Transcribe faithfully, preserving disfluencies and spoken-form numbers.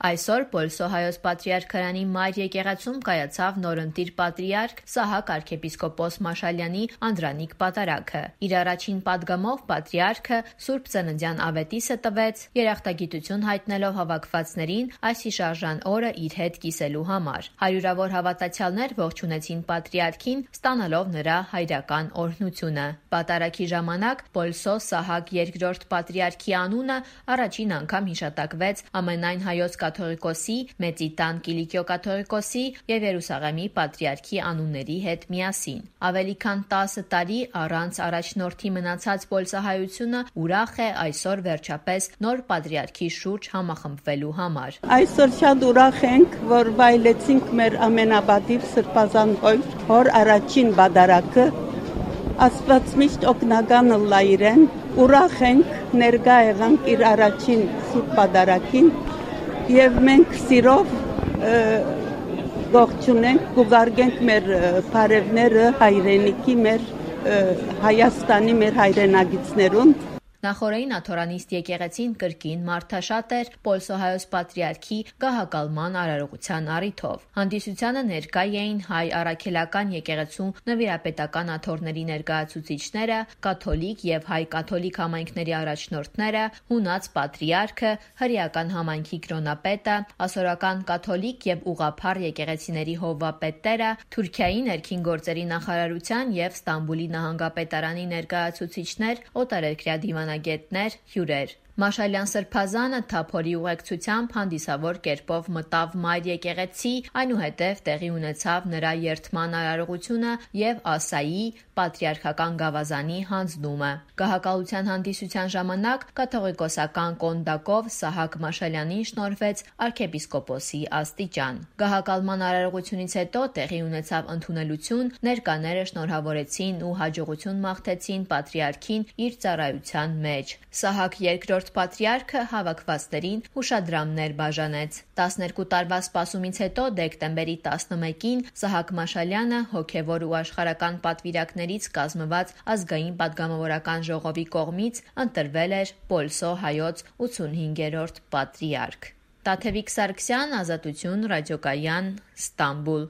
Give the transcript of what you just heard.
Այսօր Պոլսո հայոց պատրիարքարանի մայր եկեղեցում կայացավ նորընտիր պատրիարք Սահակ arczepiskopos Մաշալյանի անդրանիկ պատարագը։ Իր առաջին պատգամով պատրիարքը Սուրբ Ծննդյան ավետիսը տվեց, երախտագիտություն հայտնելով հավաքվածներին այս հիշարժան օրը իր հետ կիսելու համար։ Հարյուրավոր հավատացյալներ ողջունեցին պատրիարքին, ստանալով նրա հայրական օրհնությունը։ Պատարագի ժամանակ Պոլսո Սահակ երկրորդ պատրիարքի անունը առաջին անգամ հիշատակվեց ամենայն հայոց կաթողիկոսի, Մեծիտան Կիլիկիո կաթողիկոսի և Երուսաղեմի պատրիարքի անունների հետ միասին։ Ավելի քան տասը տարի առանց առաջնորդի մնացած պոլսահայությունը ուրախ է այսօր վերջապես նոր պատրիարքի շուրջ համախմբվելու համար։ Այսօր շատ ուրախ ենք, որ վայելեցինք մեր ամենաբադիր սրբազան հոր, հոր առաջին բադարակը, Աստված միշտ օգնականը լա իրեն, ուրախ ենք, ներկա եղանք իր առաջին սուրբ բադարակին և մենք սիրով ողջունենք, կուղարկենք մեր բարևները հայրենիքի, մեր Հայաստանի մեր հայրենագիցներուն։ Նախօրեին աթորանիստ եկեղեցին կրկին մարդաշատ էր Պոլսո հայոց պատրիարքի գահակալման արարողության առիթով։ Հանդիսությանը ներկա էին հայ առաքելական եկեղեցու նվիրապետական աթոռների ներկայացուցիչները, կաթոլիկ և հայ կաթոլիկ համայնքների առաջնորդները, հունած պատրիարքը, հրեական համայնքի կրոնապետը, ասորական կաթոլիկ և ուղղափառ եկեղեցիների հովվապետները, Թուրքիայի ներքին գործերի նախարարության և Ստամբուլի նահանգապետարանի ներկայացուցիչներ, օտարերկրյա դիվանագետներ, հյուրեր։ Մաշալյան սրբազանը թափորի ուղեկցությամբ հանդիսավոր կերպով մտավ մայր եկեղեցի, այնուհետև տեղի ունեցավ նրա երդման արարողությունը և ասայի պատրիարքական գավազանի հանձնումը։ Գահակալության հանդիսության ժամանակ կաթողիկոսական կոնդակով Սահակ Մաշալյանին շնորհվեց arczepiskopos-ի աստիճան։ Գահակալման արարողությունից հետո տեղի ունեցավ ընդունելություն, ներկաները շնորհավորեցին ու հաջողություն մաղթեցին պատրիարքին իր ծառայության մեջ։ Սահակ երկրորդ պատրիարքը հավաքվածներին հուշադրամներ բաժանեց։ տասներկու տարվա սպասումից հետո դեկտեմբերի տասնմեկին Սահակ Մաշալյանը հոգևոր ու աշխարհական պատվիրակներից կազմված ազգային պատգամավորական ժողովի կողմից ընտրվել էր Պոլսո հայոց ութսունհինգերորդ պատրիարք։ Տաթևիկ Սարգսյան, Ազատություն ռադիոկայան, Ստամբուլ։